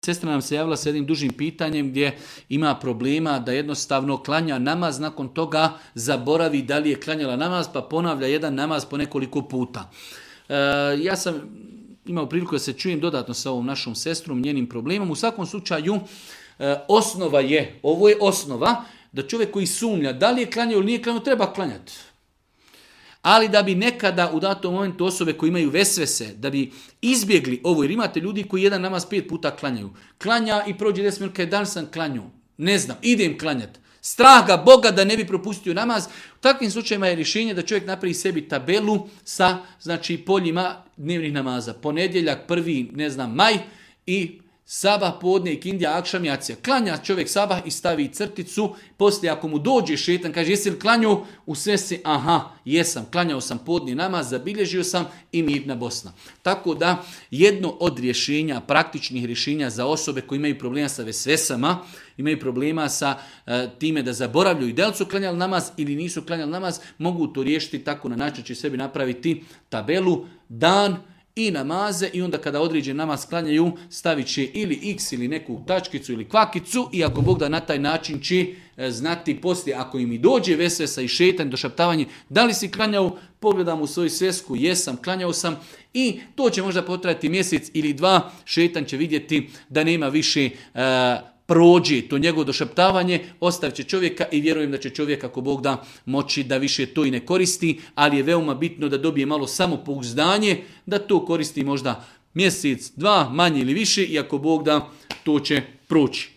Sestra nam se javila sa jednim dužim pitanjem gdje ima problema da jednostavno klanja namaz, nakon toga zaboravi da li je klanjala namaz pa ponavlja jedan namaz po nekoliko puta. Ja sam imao priliku da se čujem dodatno sa ovom našom sestrom, njenim problemom. U svakom slučaju osnova je, ovo je osnova, da čovjek koji sumnja da li je klanjao ili nije klanjao treba klanjati. Ali da bi nekada u datom momentu osobe koji imaju vesvese, da bi izbjegli ovo, jer imate ljudi koji jedan namaz 5 puta klanjaju. Klanja i prođe 10 minuta, dan sam klanjao. Ne znam, idem klanjati. Strah ga Boga da ne bi propustio namaz. U takvim slučajima je rješenje da čovjek napravi sebi tabelu sa poljima dnevnih namaza. Ponedjeljak, 1. maj i sabah, podne, ikindija, akšam, jacija. Klanja čovjek sabah i stavi crticu. Poslije ako mu dođe šetan, kaže jesi li klanjao? U sve se, jesam, klanjao sam podni namaz, zabilježio sam i mirna Bosna. Tako da jedno od rješenja, praktičnih rješenja za osobe koji imaju problema sa vesvesama, imaju problema sa time da zaboravljaju da li su klanjali namaz ili nisu klanjali namaz, mogu to riješiti tako na način će sebi napraviti tabelu, dan i namaze i onda kada određen namaz klanjaju stavit će ili x ili neku tačkicu ili kvakicu i ako Bog da na taj način će znati poslije ako im i dođe vesvesa i šetan, došaptavanje, da li si klanjao, pogledam u svoju svesku, jesam, klanjao sam i to će možda potrajati mjesec ili 2, šetan će vidjeti da nema više prođe to njegovo došaptavanje, ostavit će čovjeka i vjerujem da će čovjek ako Bog da moći da više to i ne koristi, ali je veoma bitno da dobije malo samopouzdanje, da to koristi možda mjesec, 2, manje ili više i ako Bog da to će proći.